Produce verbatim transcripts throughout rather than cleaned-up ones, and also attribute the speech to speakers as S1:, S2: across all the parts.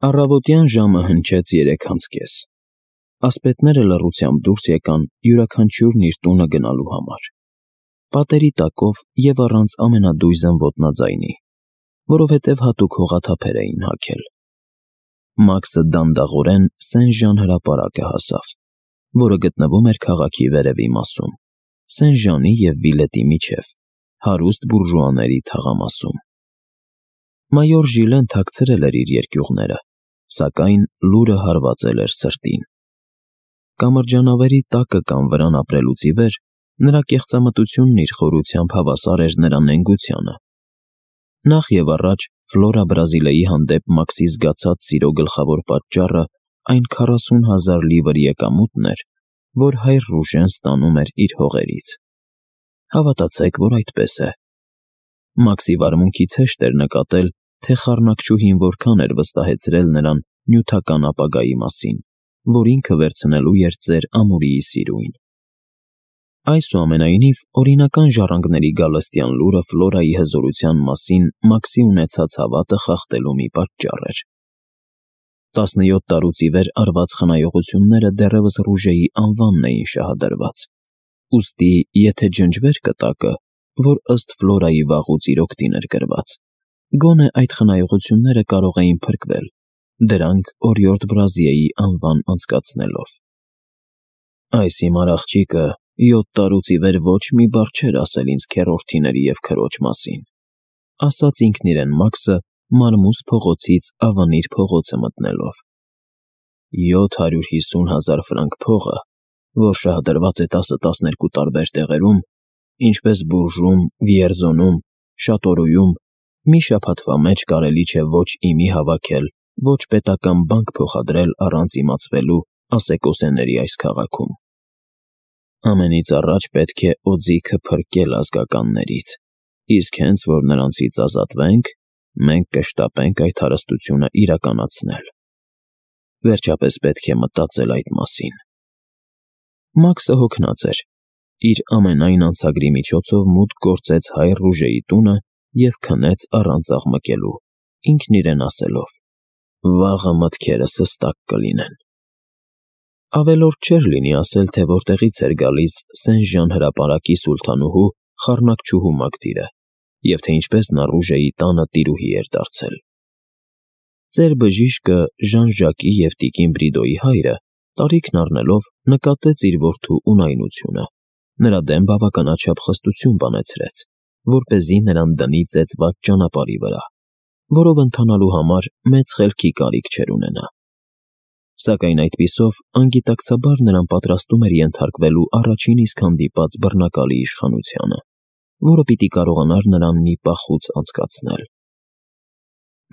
S1: Առավոտյան ժամը հնչեց երեքանց կես։ Ասպետները լռությամբ դուրս եկան յուրաքանչյուրն իր տունը գնալու համար, պատերի տակով և առանց ամենադույզն ոտնաձայնի, որովհետև հատուկ հողաթափեր էին հագել։ Մաքսը դանդաղորեն Սեն-Ժան հրապարակը հասավ, որը գտնվում էր քաղաքի վերևի մասում, Սեն-Ժանի և Վիլետի միջև, հարուստ բուրժուաների թաղամասում։ Մայոր Ժիլեն թաքցրել էր իր երկյուղները, սակայն լուրը հարվածել էր սրտին։ Կամրջանավերի տակը կամ վրան ապրելուց ի վեր նրա կեղծամտությունն իր խորությամբ հավասար էր նրա նենգությանը։ Նախ և առաջ Ֆլորա Բրազիլիայի հանդեպ Մաքսի զգացած սիրո գլխավոր պատճառը այն քառասուն հազար լիվր եկամուտն էր, որ հայր Ռուժեն ստանում էր իր հողերից։ Հավատացեք, որ այդպես է։ Մաքսի վարմունքից հեշտ էր նկատել, թե խառնակչուհին որքան էր վստահեցրել նրան նյութական ապագայի մասին, որ ինքը վերցնելու էր ծեր Ամուրիի սիրույն։ Այսուամենայնիվ, օրինական ժառանգների գալստյան լուրը Ֆլորայի հզորության մասին Մաքսի ունեցած հավատը խախտելու մի պատճառ էր։ Տասնյոթ տարուց ի վեր արված խնայողությունները դեռևս Ռուժեի անվանն էին շահադրված, ուստի եթե ջնջվեր կտակը, որ ըստ Ֆլորայի վաղուց իր օգտին էր գրված, գոնե այդ խնայողությունները կարող էին փրկվել, դրանք օրիորդ Բրազիեի անվան անցկացնելով։ Այս հիմար աղջիկը յոթ տարուց ի վեր ոչ մի բառ չէր ասել ինձ քեռորդիների և քրոջ մասին, ասաց ինքն իրեն Մաքսը Մարմուզ փողոցից Ավանիր փողոցը մտնելով։ Յոթ հարյուր հիսուն հազար ֆրանկ փողը, որ շահադրված է տասը-տասներկու տարբեր տեղերում, ինչպես Բուրժում, Վիերզոնում, Շատորույում, մի շաբաթվա մեջ կարելի չէ ոչ իմի հավաքել, ոչ պետական բանկ փոխադրել առանց իմացվելու ասեկոսեների այս քաղաքում։ Ամենից առաջ պետք է օձիքը փրկել ազգականներից, իսկ հենց որ նրանցից ազատվենք, մենք կշտապենք այդ հարստությունը իրականացնել։ Վերջապես պետք է մտածել այդ մասին։ Մաքսը հոգնած էր, իր ամենայն անցագրի միջոցով մուտք գործեց հայր Ռուժեի տունը և քնեց առանց աղմկելու, ինքն իրեն ասելով. «Վաղը մտքերս հստակ կլինեն»։ Ավելորդ չէր լինի ասել, թե որտեղից էր գալիս Սեն-Ժան հրապարակի սուլթանուհու խառնակչուհու մակդիրը, և թե ինչպես նա Ռուժեի տանը տիրուհի էր դարձել։ Ծեր բժիշկը Ժան-Ժակի և տիկին Բրիդոյի հայրը, տարիքն առնելով, նկատեց իր որդու ունայնությունը, նրա դեմ բավականաչափ խստություն բանեցրեց, որպեսզի նրան դնի ծեծված ճանապարհի վրա, որով ընթանալու համար մեծ խելքի կարիք չէր ունենա։ Սակայն այդպիսով անգիտակցաբար նրան պատրաստում էր ենթարկվելու առաջին իսկ հանդիպած բռնակալի իշխանությանը, որը պիտի կարողանար նրան մի պախուց անցկացնել։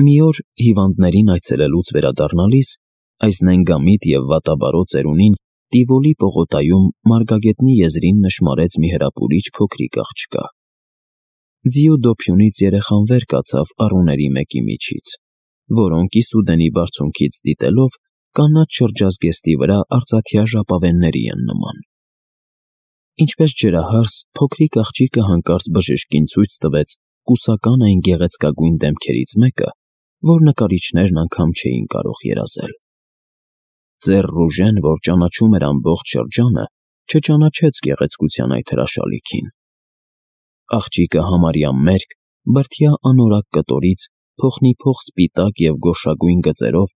S1: Մի օր հիվանդներին այցելելուց վերադառնալիս այս նենգամիտ և վատաբարո ծերունին Տիվոլի պողոտայում Մարգագետնի եզրին նշմարեց մի հրապուրիչ փոքրիկ աղջկա։ Ձիու դոփյունից երեխան վեր կացավ առուների մեկի միջից, որոնք Իսուդենի բարձունքից դիտելով կանաչ շրջազգեստի վրա արծաթյա ժապավենների են նման։ Ինչպես ջրահարս, փոքրիկ աղջիկը հանկարծ բժշկին ցույց տվեց կուսական այն գեղեցկագույն դեմքերից մեկը, որ նկարիչներն անգամ չէին կարող երազել։ Ծեր Ռուժեն, որ ճանաչում էր ամբողջ շրջանը, չճանաչեց գեղեցկության այդ հրաշալիքին։ Աղջիկը համարյա մերկ, բրդյա անորակ կտորից, փոխնիփոխ սպիտակ և գորշագույն գծերով,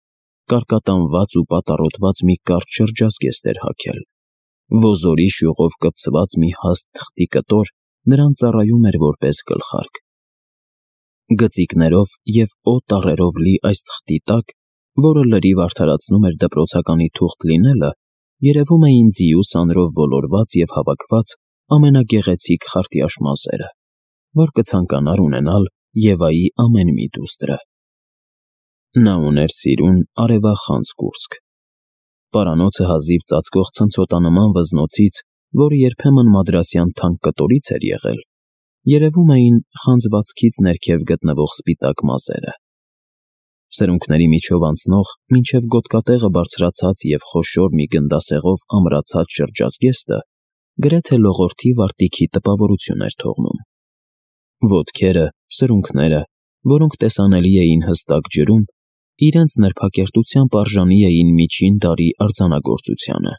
S1: կարկատանված ու պատառոտված մի կարճ շրջազգեստ էր հագել։ Ոզորի շյուղով կպցված մի հաստ թղթի կտոր նրան ծառայում էր որպես գլխարկ։ Գծիկներով և օ տառերով լի այս թղթի տակ, որը լրիվ արդարացնում էր դպրոցականի թուղթ լինելը, երևում էին ձիու սանրով ոլորված և հավաքված ամենագեղեցիկ խարտյաշ մազերը, որ կցանկանար ունենալ Եվայի ամեն մի դուստրը։ Նա ուներ սիրուն արևախանձ կուրծք։ Պարանոցը հազիվ ծածկող ցնցոտանման վզնոցից, որը երբեմն մադրասյան թանկ կտորից էր եղել, երևում էին խանձվածքից ներքև գտնվող սպիտակ մազերը։ Սրունքների միջով անցնող, մինչև գոտկատեղը բարձրացած և խոշոր մի գնդասեղով ամրացած շրջազգեստը գրեթե լողորդի վարտիքի տպավորություն էր թողնում։ Ոտքերը, սրունքները, որոնք տեսանելի էին հստակ ջրում, իրենց նրբակերտությամբ արժանի էին միջին դարի արձանագործությանը։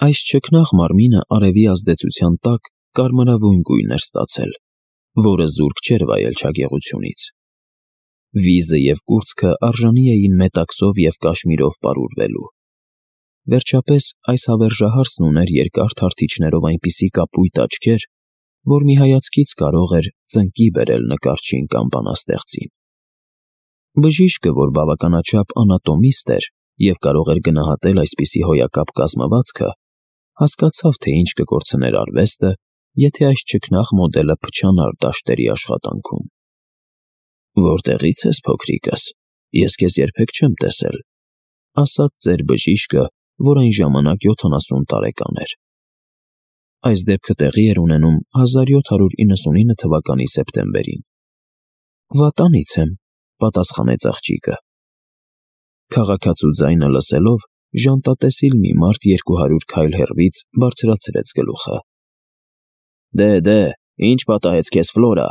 S1: Այս չքնաղ մարմինը արևի ազդեցության տակ կարմրավուն գույն էր ստացել, որը զուրկ չէր վայել չագեղությունից։ Վիզը և կուրծքը արժանի էին մետաքսով և կաշմիրով պարուրվելու։ Վերջապես այս հավերժահարսն ուներ երկար թարթիչներով այնպիսի կապույտ աչքեր, որ մի հայացքից կարող էր ծնկի բերել նկարչին կամ բանաստեղծին։ Բժիշկը, որ բավականաչափ անատոմիստ էր և կարող էր գնահատել այսպիսի հոյակապ կազմվածքը, հասկացավ, թե ինչ կկորցներ արվեստը, եթե այս չքնաղ մոդելը փչանար դաշտերի աշխատանքում։ «Որտեղի՞ց ես, փոքրիկս, ես քեզ երբեք չեմ տեսել», ասաց ծեր բժիշկը, որ այն ժամանակ յոթանասուն տարեկան էր։ Այս դեպքը տեղի էր ունենում հազար յոթ հարյուր իննսունինը թվականի սեպտեմբերին։ «Վատանից եմ», պատասխանեց աղջիկը։ Քաղաքացու ձայնը լսելով, ժանտատեսիլ մի մարդ երկու հարյուր քայլ հեռվից բարձրացրեց գլուխը։ «Դե, դե, ինչ պատահեց քեզ, Ֆլորա»,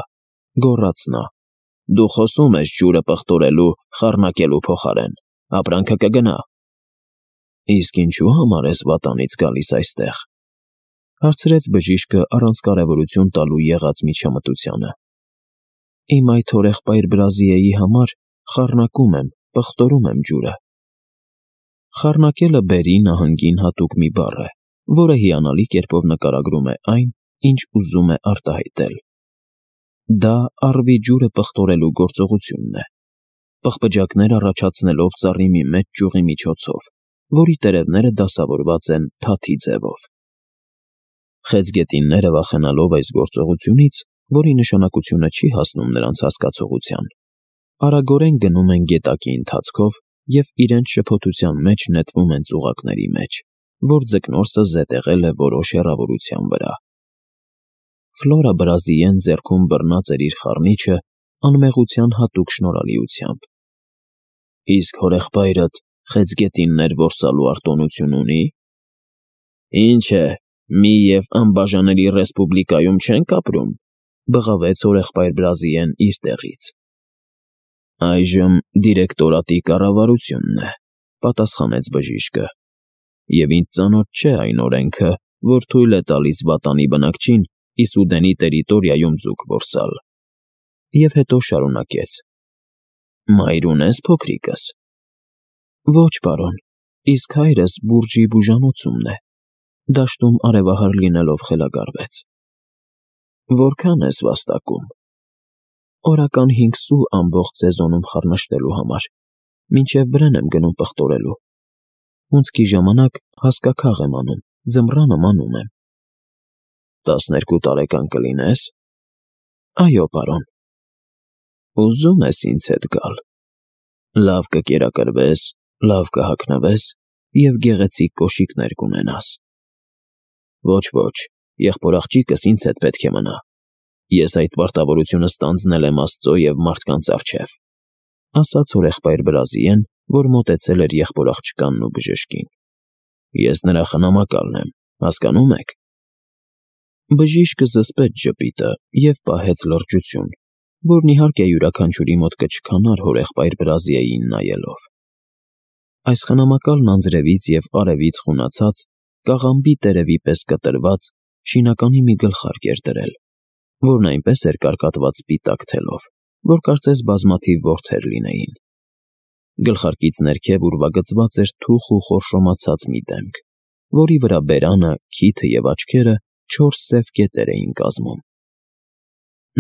S1: գոռաց նա։ «Դու խոսում ես ջուրը պղտորելու, խառնակելու փոխարեն, ապրանքը կգնա»։ «Իսկ ինչու համար ես վատանից գալիս այստեղ», հարցրեց բժիշկը առանց կարևորություն տալու եղած միջամտությանը։ «Իմ այդ հորեղբայր Բրազիեի համար խառնակում եմ, պղտորում եմ ջուրը»։ Խառնակելը Բերի նահանգին հատուկ մի բառ է, որը հիանալի կերպով նկարագրում է այն, ինչ ուզում է արտահայտել։ Դա առվի ջուրը պղտորելու գործողությունն է, պղպջակներ առաջացնելով ծառի մի մեծ ճյուղի միջոցով, որի տերևները դասավորված են թաթի ձևով։ Խեցգետինները, վախենալով այս գործողությունից, որի նշանակությունը չի հասնում նրանց հասկացողության, արագորեն գնում են գետակի ընթացքով և իրենց շփոթության մեջ նետվում են ծուղակների մեջ, որ ձկնորսը զետեղել է որոշ հեռավորության վրա։ Ֆլորա Բրազիեն ձեռքում բռնած էր իր խառնիչը անմեղության հատուկ շնորհալիությամբ։ «Իսկ հորեղբայրդ խեցգետիններ որսալու արտոնություն ունի»։ «Ինչ է, մի և անբաժանելի ռեսպուբլիկայում չենք ապրում», բղավեց հորեղբայր Բրազիեն իր տեղից։ «Այժմ դիրեկտորատի կառավարությունն է», պատասխանեց բժիշկը, «և ինձ ծանոթ չէ այն օրենքը, որ թույլ է տալիս վատանի բնակչին Իսուդենի տերիտորիայում ձուկ որսալ»։ Եվ հետո շարունակեց. «Մայր ունե՞ս, փոքրիկս»։ «Ոչ, պարոն, իսկ հայրս Բուրժի բուժանոցումն է», դաշտում արևահար լինելով խելագարվեց։ «Որքան ես վաստակում»։ «Օրական հինգ սու ամբողջ սեզոնում խառնշտելու համար, մինչև Բրեն եմ գնում պղտորելու։ Հունձքի ժամանակ հասկաքաղ եմ անում, ձմռանը մանում եմ»։ «Տասներկու տարեկան կլինես»։ «Այո, պարոն»։ «Ուզում ես ինձ հետ գալ։ Լավ կկերակրվես, լավ կհագնվես և գեղեցիկ կոշիկներ կունենաս»։ «Ոչ, ոչ, եղբորաղջիկս ինձ հետ պետք է մնա։ Ես այդ պարտավորությունը ստանձնել եմ Աստծո և մարդկանց առջև», ասաց հորեղբայր Բրազիեն, որ մոտեցել էր եղբորաղջկանն ու բժշկին։ «Ես նրա խնամակալն եմ, հասկանո՞ւմ եք»։ Բժիշկը զսպեց ժպիտը և պահեց լրջություն, որն իհարկե յուրաքանչյուրի մոտ կչքանար հորեղբայր Բրազիեին նայելով։ Այս խնամակալն անձրևից և արևից խունացած, կաղամբի տերևի պես կտրված, շինականի մի գլխարկ էր դրել, որն այնպես էր կարկատված սպիտակ թելով, որ կարծես բազմաթիվ որդեր լինեին։ Գլխարկից ներքև ուրվագծված էր թուխ ու խորշոմացած մի դեմք, որի վրա բերանը, քիթը և աչքերը չորս սև կետեր էին կազմում։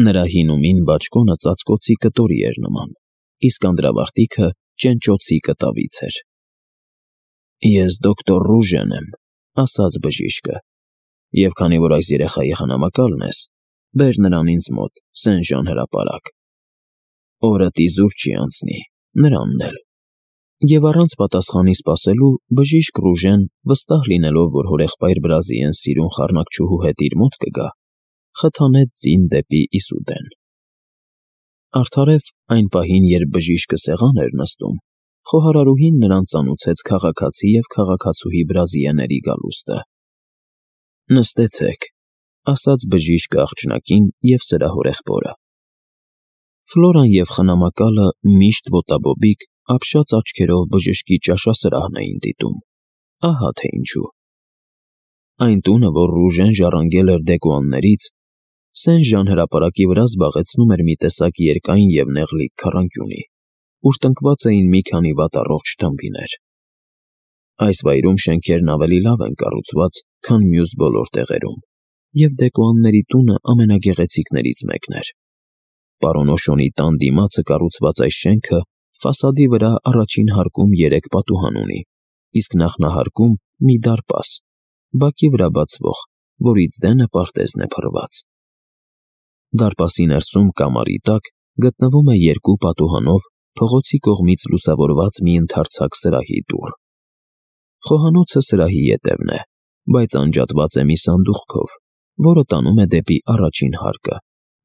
S1: Նրա հին ու մին բաճկոնը ծածկոցի կտորի էր նման, իսկ անդրավարտիքը ճենճոցի կտավից էր։ «Ես դոկտոր Ռուժեն եմ», ասաց բժիշկը, «և քանի որ այս երեխայի խնամակալն ես, բեր նրան ինձ մոտ, Սեն-Ժան հրապարակ։ Օրդ իզուր չի անցնի, նրանն էլ»։ Եվ առանց պատասխանի սպասելու բժիշկ Ռուժեն, վստահ լինելով, որ հորեղբայր Բրազիեն սիրուն խառնակչուհու հետ իր մոտ կգա, խթանեց ձին դեպի Իսուդեն։ Արդարև այն պահին, երբ բժիշկը սեղան էր նստում, խոհարարուհին նրան ծանուցեց քաղաքացի և քաղաքացուհի Բրազիեների գալուստը։ «Նստեցեք», ասաց բժիշկը աղջնակին և սրա հորեղբորը։ Ֆլորան և խնամակալը միշտ ոտաբոբիկ, ապշած աչքերով բժշկի ճաշասրահն էին դիտում, ահա թե ինչու։ Այն տունը, որ Ռուժեն ժառանգել էր Դեկոյաններից, Սեն-Ժան հրապարակի վրա զբաղեցնում էր մի տեսակ երկայն և նեղլիկ քառանկյունի, ուր տնկված էին մի քանի վատառողջ տմբիներ։ Այս վայրում շենքերն ավելի լավ են կառուցված, քան մյուս բոլոր տեղերում, և Դեկոյանների տունը ամենագեղեցիկներից մեկն էր։ Պարոն Օշոնի տան դիմացը կառուցված այս շենքը ֆասադի վրա առաջին հարկում երեք պատուհան ունի, իսկ նախնահարկում մի դարպաս, բակի վրա բացվող, որից դենը պարտեզն է փռված։ Դարպասի ներսում կամարի տակ գտնվում է երկու պատուհանով փողոցի կողմից լուսավորված մի ընդարձակ սրահի դուռ։ Խոհանոցը սրահի ետևն է, բայց անջատված է մի սանդուղքով, որը տանում է դեպի առաջին հարկը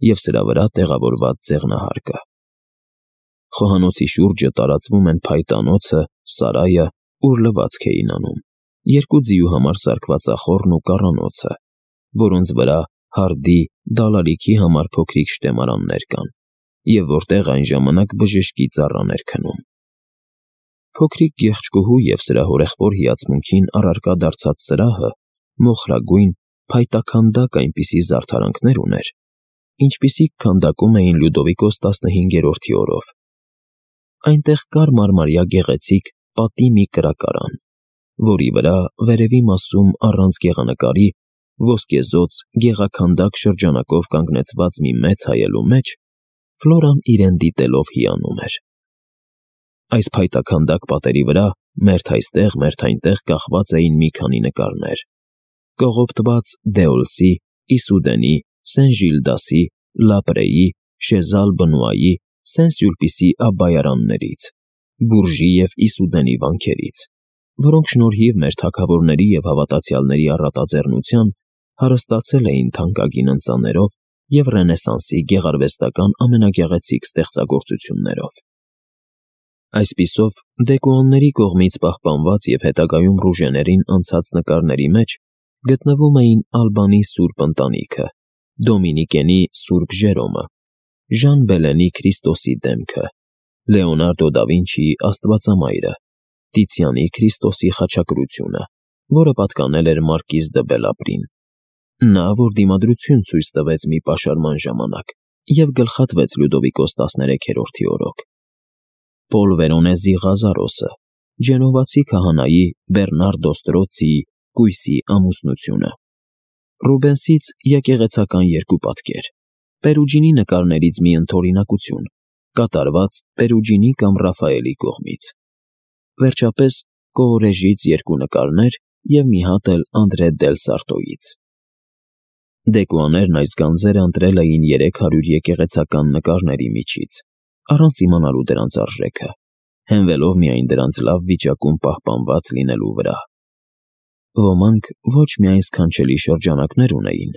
S1: և սրա վրա տեղավորված ձեղնահարկը։ Խոհանոցի շուրջը տարածվում են փայտանոցը, սարայը, ուր լվացք էին անում, երկու ձիու համար սարքվածախոռն ու կառանոցը, որոնց վրա հարդի, դալալիքի համար փոքրիկ շտեմարաններ կան, և որտեղ այն ժամանակ բժշկի ծառան էր քնում։ Փոքրիկ գեղեցկուհու և սրա հորեղբոր հիացմունքին առարկա դարձած սրահը մոխրագույն, փայտաքանդակ այնպիսի զարդարանքներ ուներ, ինչպիսիք քանդակում էին Լյուդովիկոս տասնհինգերորդի օրով։ Այնտեղ կար մարմարյա գեղեցիկ պատի մի կրակարան, որի վրա վերևի մասում առանց գեղանկարի ոսկեզօծ գեղաքանդակ շրջանակով կանգնեցված մի մեծ հայելու մեջ Ֆլորան իրեն դիտելով հիանում էր։ Այս փայտաքանդակ պատերի վրա մերթ այստեղ, մերթ այնտեղ կախված էին մի քանի նկարներ՝ կողոպտված Դեոլսի, Իսուդենի, Սեն-Ժիլդասի, Լապրեի, Շեզալ Բնուայի, Սեն-Սյուլպիսի Աբբայարաններից, Բուրժի և Իսուդենի վանքերից, որոնք շնորհիվ մեր թագավորների և հավատացյալների առատաձեռնության հարստացել էին թանկագին ընծաներով և Ռենեսանսի գեղարվեստական ամենագեղեցիկ ստեղծագործություններով։ Այսպիսով, Դեկոյանների կողմից պահպանված և հետագայում Ռուժեներին անցած նկարների մեջ գտնվում էին Ալբանի Սուրբ Ընտանիքը, Դոմինիկենի Սուրբ Ժերոմը, Ժան Բելենի Քրիստոսի դեմքը, Լեոնարդո դա Վինչիի Աստվածամայրը, Տիցիանի Քրիստոսի խաչակրությունը, որը պատկանել էր մարկիզ դը Բելաբրին, նա, որ դիմադրություն ցույց տվեց մի պաշարման ժամանակ և գլխատվեց Լյուդովիկոս տասներեքերորդի օրոք, Պոլ Վերոնեզի Ղազարոսը, Ջենովացի քահանայի Բեռնարդո Ստրոցիի կույսի ամուսնությունը, Ռուբենսից եկեղեցական երկու պատկեր, Պերուջինի նկարներից մի ընդօրինակություն, կատարված Պերուջինի կամ Ռաֆայելի կողմից, վերջապես Կոորեժից երկու նկարներ և մի հատ էլ Անդրե դել Սարտոյից։ Դեկոյաներն այս գանձերը ընտրել էին երեք հարյուր եկեղեցական նկարների միջից, առանց իմանալու դրանց արժեքը, հենվելով միայն դրանց լավ վիճակում պահպանված լինելու վրա։ Ոմանք ոչ միայն սքանչելի շրջանակներ ունեին,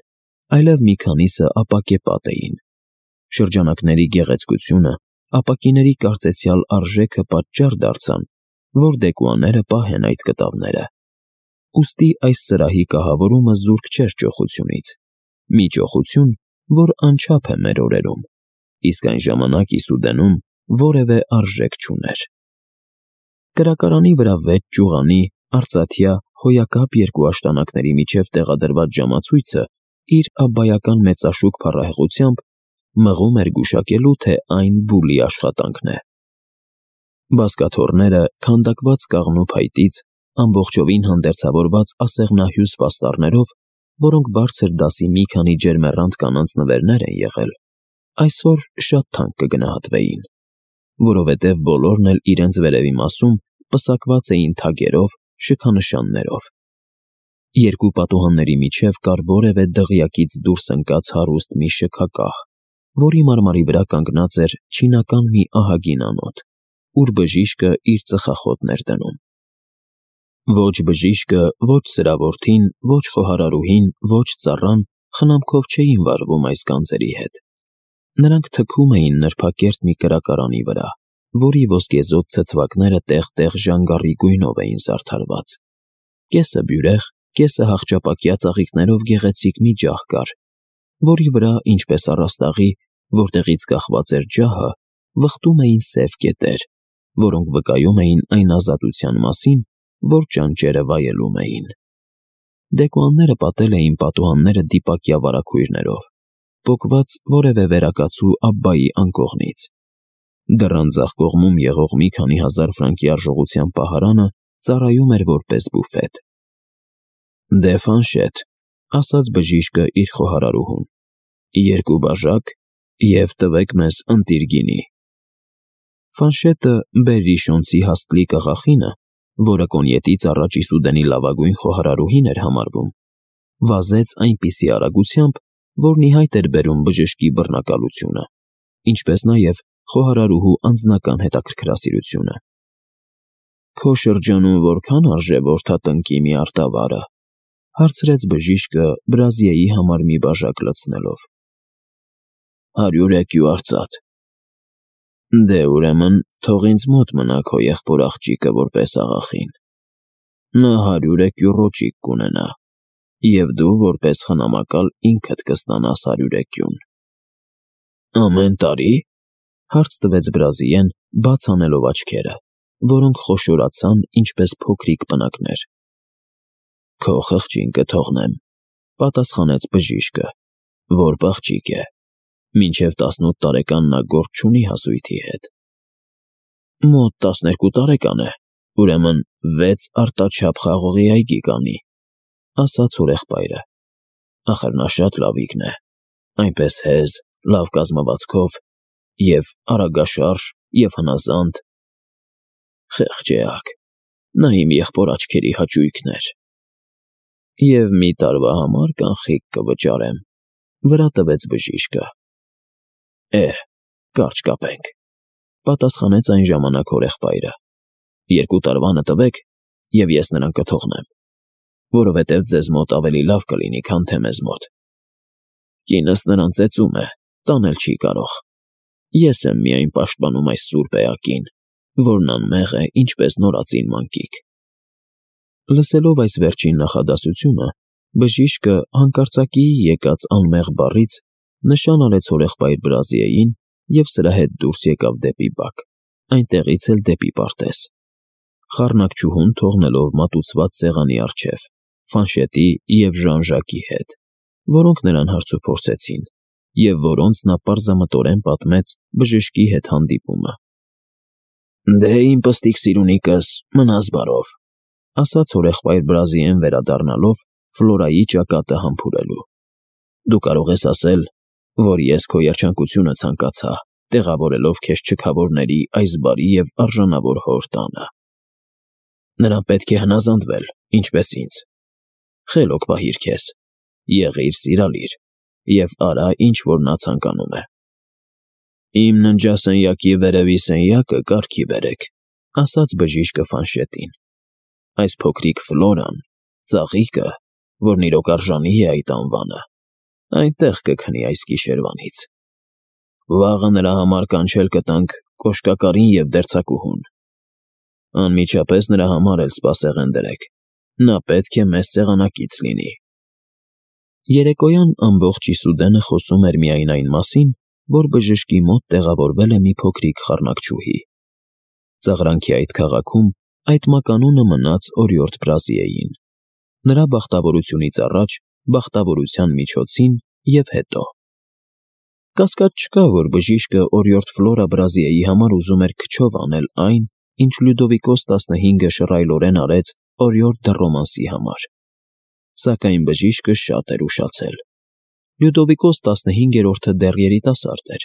S1: այլև մի քանիսը ապակե պատ էին։ Շրջանակների գեղեցկությունը, ապակիների կարծեցյալ արժեքը պատճառ դարձան, որ Դեկոյանները պահեն այդ կտավները։ Ուստի այս սրահի կահավորումը զուրկ չէր ճոխությունից, մի ճոխություն, որ անչափ է մեր օրերում, իսկ այն ժամանակ Իսուդենում որևէ արժեք չուներ։ Կրակարանի վրա վեց ճյուղանի, արծաթյա, հոյակապ երկու աշտանակների միջև տեղադրված ժամացույցը իր աբբայական մեծաշուք փառահեղությամբ մղում էր գուշակելու, թե այն բուլի աշխատանքն է։ Բազկաթոռները քանդակված կաղնու փայտից, ամբողջովին հանդերձավորված ասեղնահյուս պաստառներով, որոնք բարձր դասի մի քանի ջերմեռանդ կանանց նվերներ են եղել, այսօր շատ թանկ կգնահատվեին, որովհետև բոլորն էլ իրենց վերևի մասում պսակված էին թագերով, շքանշաններով։ Երկու պատուհանների միջև կար որևէ դղյակից դուրս ընկած հարուստ մի շքակահ, որի մարմարի վրա կանգնած էր չինական մի ահագին անոթ, ուր բժիշկը իր ծխախոտն էր դնում։ Ոչ բժիշկը, ոչ սրա որդին, ոչ խոհարարուհին, ոչ ծառան խնամքով չէին վարվում այս գանձերի հետ։ Նրանք թքում էին նրբակերտ մի կրակարանի վրա, որի ոսկեզօծ ցցվածքները տեղ-տեղ ժանգառի գույնով էին զարդարված։ Կեսը բյուրեղ, կեսը հախճապակյա ծաղիկներով գեղեցիկ մի ջահ կար, որի վրա, ինչպես առաստաղի, որտեղից կախված էր ջահը, վխտում էին սև կետեր, որոնք վկայում էին այն ազատության մասին, որ ճանճերը վայելում էին։ Դեկոանները պատել էին պատուհանները դիպակյա վարագույրներով, պոկված որևէ վերակացու Աբբայի անկողնից։ Դռան ձախ կողմում եղող մի քանի հազար ֆրանկի արժողության պահարանը ծառայում էր որպես բուֆետ։ «Դե Ֆանշետ», ասաց բժիշկը իր խոհարարուհուն, «երկու բաժակ և տվեք մեզ ընտիր գինի»։ Ֆանշետը Բերրիշոնցի հասկլիկ աղախինը, որը կոնյետից առաջ Իսուդենի լավագույն խոհարարուհին էր համարվում, վազեց այնպիսի արագությամբ, որն ի հայտ էր բերում բժշկի բռնակալությունը, ինչպես նաև խոհարարուհու անձնական հետաքրքրասիրությունը։ «Քո շրջանում որքան արժե որդատնկի մի արտավարը», հարցրեց բժիշկը Բրազիեի համար մի բաժակ լցնելով։ «Հարյուր էկյու արծաթ»։ «Դե ուրեմն թող ինձ մոտ մնա քո եղբոր աղջիկը որպես աղախին։ Նա հարյուր էկյու ռոճիկ կունենա, և դու որպես խնամակալ ինքդ կստանաս հարյուր էկյուն»։ «Ամեն տարի՞», հարց տվեց Բրազիեն, բաց անելով աչքերը, որոնք խոշորացան ինչպես փոքրիկ պնակներ։ «Քո խղճին կթողնեմ», պատասխանեց բժիշկը, «որբ աղջիկ է, մինչև տասնութ տարեկան նա գործ չունի հասույթի հետ»։ «Մոտ տասներկու տարեկան է, ուրեմն վեց արտաչափ խաղողի այգի կանի», ասաց հորեղբայրը։ «Ախր նա շատ լավիկն է, այնպես հեզ, լավ կազմվածքով, և արագաշարժ, և հնազանդ»։ «Խեղճ էակ, նա իմ եղբոր աչքերի հաճույքն էր»։ «Եվ մի տարվա համար կանխիկ կվճարեմ», վրա տվեց բժիշկը։ «Է՛հ, կարճ կապենք», պատասխանեց այն ժամանակ հորեղբայրը։ «Երկու տարվանը տվեք, և ես նրան կթողնեմ, որովհետև ձեզ մոտ ավելի լավ կլինի, քան թե մեզ մոտ։ Կինս նրան ծեծում է, տանել չի կարող։ Ես եմ միայն պաշտպանում այս սուրբ էակին, որն անմեղ է, ինչպես նորածին մանկիկ»։ Լսելով այս վերջին նախադասությունը, բժիշկը հանկարծակիի եկած անմեղ բառից նշան արեց հորեղբայր Բրազիեին և սրա հետ դուրս եկավ դեպի բակ, այնտեղից էլ դեպի պարտեզ, խառնակչուհուն թողնելով մատուցված սեղանի առջև, Ֆանշետի և Ժան-Ժակի հետ, որոնք նրան հարցուփորձեցին, և որոնց նա պարզամտորեն պատմեց բժշկի հետ հանդիպումը։ «Դե իմ պստիկ սիրունիկս, մնաս բարով», ասաց հորեղբայր Բրազիեն վերադառնալով Ֆլորայի ճակատը համբուրելու։ «Դու կարող ես ասել, որ ես քո երջանկությունը ցանկացա, տեղավորելով քեզ չքավորների այս բարի և արժանավոր հոր տանը։ Նրան պետք է հնազանդվել, ինչպես ինձ։ Խելոք պահիր քեզ, եղիր սիրալիր և արա, ինչ որ նա ցանկանում է։ Իմ ննջասենյակի վերևի սենյակը կարգի բերեք», ասաց բժիշկը Ֆանշետին։ «Այս փոքրիկ Ֆլորան, ծաղիկը, որն իրոք արժանի է այդ անվանը, այնտեղ կքնի այս գիշերվանից։ Վաղը նրա համար կանչել կտանք կոշկակարին և դերձակուհուն։ Անմիջապես նրա համար էլ սպասեղեն դրեք, նա պետք է մեզ սեղանակից լինի»։ Երեկոյան ամբողջ Իսուդենը խոսում էր միայն այն մասին, որ բժշկի մոտ տեղավորվել է մի փոքրիկ խառնակչուհի։ Ծաղրանքի այդ քաղաքում այդ մականունը մնաց օրիորդ Բրազիեին, նրա բախտավորությունից առաջ, բախտավորության միջոցին և հետո։ Կասկած չկա, որ բժիշկը օրիորդ Ֆլորա Բրազիեի համար ուզում էր քչով անել այն, ինչ Լյուդովիկոս տասնհինգը շռայլորեն արեց օրիորդ դը Ռոմանսի համար։ Սակայն բժիշկը շատ էր ուշացել։ Լյուդովիկոս տասնհինգերորդը դեռ երիտասարդ էր,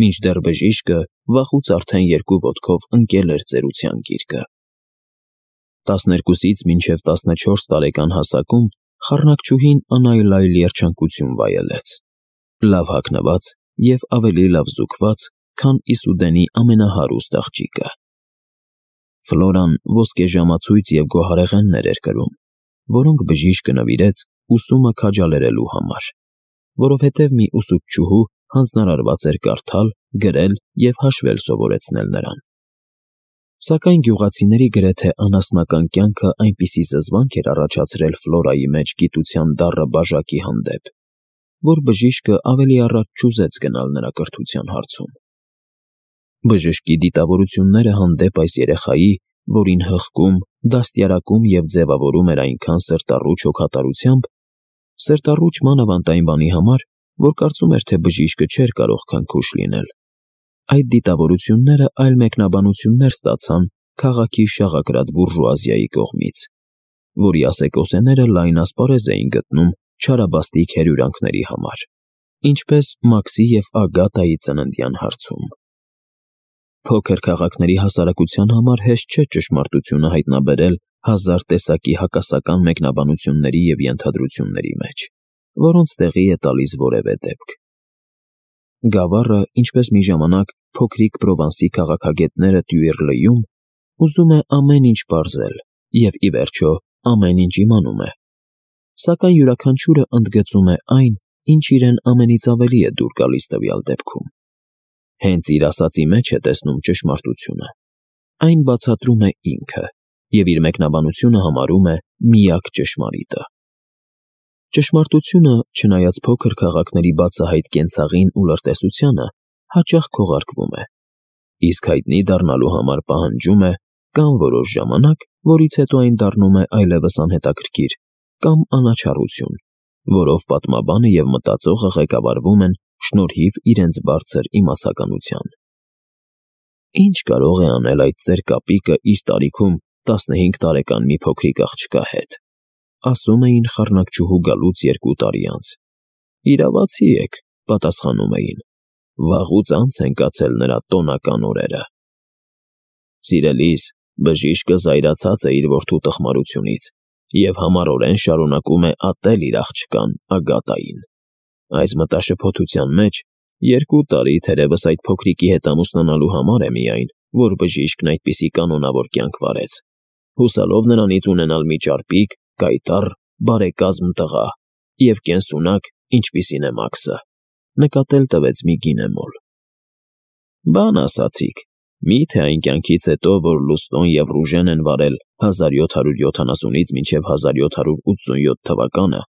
S1: մինչդեռ բժիշկը վաղուց արդեն երկու ոտքով ընկել էր ծերության գիրկը։ Տասներկուսից մինչև տասնչորս տարեկան հասակում խառնակչուհին անայլայլ երջանկություն վայելեց, լավ հագնված և ավելի լավ զուկված, քան Իսուդենի ամենահարուստ աղջիկը։ Ֆլորան ոսկեժամացույց և գոհարեղեններ էր կրում, որոնք բժիշկը նվիրեց ուսումը քաջալերելու համար, որովհետև մի ուսուցչուհու հանձնարարված էր կարդալ, գրել և հաշվել սովորեցնել նրան։ Սակայն գյուղացիների գրեթե անասնական կյանքը այնպիսի զզվանք էր առաջացրել Ֆլորայի մեջ գիտության դառը բաժակի հանդեպ, որ բժիշկը ավելի առաջ չուզեց գնալ նրա կրթության հարցում։ Բժշկի դիտավորությունները հանդեպ այս երեխայի, որին հղկում, դաստիարակում և ձևավորում էր այնքան սրտառուչ հոգատարությամբ, սրտառուչ մանավանդ այն բանի համար, որ կարծում էր, թե բժիշկը չէր կարող քնքուշ լինել։ Այդ դիտավորությունները այլ մեկնաբանություններ ստացան քաղաքի շաղակրատ բուրժուազիայի կողմից, որի ասեկոսեները լայն ասպարեզ էին գտնում չարաբաստիկ հերյուրանքների համար, ինչպես Մաքսի և Ագատայի ծննդյան հարցում։ Փոքր քաղաքների հասարակության համար հեշտ չէ ճշմարտությունը հայտնաբերել հազար տեսակի հակասական մեկնաբանությունների և ենթադրությունների մեջ, որոնց տեղի է տալիս որևէ դեպք։ Գավառը, ինչպես մի ժամանակ փոքրիկ Պրովանսի քաղաքագետները Տյուիռլեում, ուզում է ամեն ինչ պարզել և, ի վերջո, ամեն ինչ իմանում է, սակայն յուրաքանչյուրը ընդգծում է այն, ինչ իրեն ամենից ավելի է դուր գալիս տվյալ դեպքում։ Հենց իր ասածի մեջ է տեսնում ճշմարտությունը։ Այն բացատրում է ինքը և իր մեկնաբանությունը համարում է միակ ճշմարիտը։ Ճշմարտությունը, չնայած փոքր քաղաքների բացահայտ կենցաղին ու լրտեսությանը, հաճախ քողարկվում է, իսկ հայտնի դառնալու համար պահանջում է կամ որոշ ժամանակ, որից հետո այն դառնում է այլևս անհետաքրքիր, կամ անաչառություն, որով պատմաբանը և մտածողը ղեկավարվում են շնորհիվ իրենց բարձր իմացականության։ Ինչ կարող է անել այդ ծեր կապիկը իր տարիքում տասնհինգ տարեկան մի փոքրիկ աղջկա հետ, ասում էին խառնակչուհու գալուց երկու տարի անց։ Իրավացի եք, պատասխանում էին, վաղուց անց են կացել նրա տոնական օրերը։ Սիրելիս, բժիշկը զայրացած է իր որդու տխմարությունից և համառորեն շարունակում է ատել իր աղջկան Ագատային։ Այս մտաշփոթության մեջ երկու տարի թերևս այդ փոքրիկի հետ ամուսնանալու համար է միայն, որ բժիշկն այդպիսի կանոնավոր կյանք վարեց, հուսալով նրանից ունենալ մի ճարպիկ, կայտառ, բարեկազմ տղա և կենսունակ, ինչպիսին է Մաքսը, նկատել տվեց մի գինեմոլ։ Բան ասացիք, մի՞թե այն կյանքից հետո, որ Լուստոն և Ռուժեն են վարել հազար յոթ հարյուր յոթանասունից մինչև հազար յոթ հարյուր ութսունյոթ թվականը,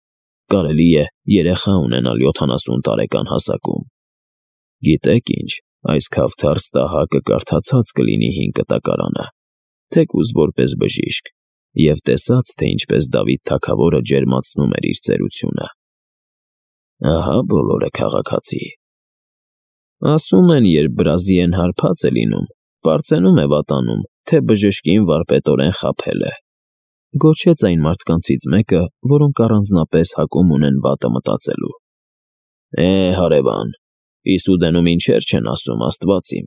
S1: կարելի է երեխա ունենալ յոթանասուն տարեկան հասակում։ Գիտեք ինչ, այս քավթարս տահակը կարդացած կլինի հին կտակարանը, թեկուզ որպես բժիշկ, և տեսած, թե ինչպես Դավիթ թագավորը ջերմացնում էր իր ծերությունը։ Ահա բոլորը, քաղաքացի։ Ասում են, երբ Բրազիլիեն հարբած է լինում, պարծենում է վատանում, թե բժշկին վարպետորեն խաբել է, գոչեց այն մարդկանցից մեկը, որոնք առանձնապես հակում ունեն վատը մտածելու։ Է, հարևան, Իսուդենում ինչեր չեն ասում, աստված իմ։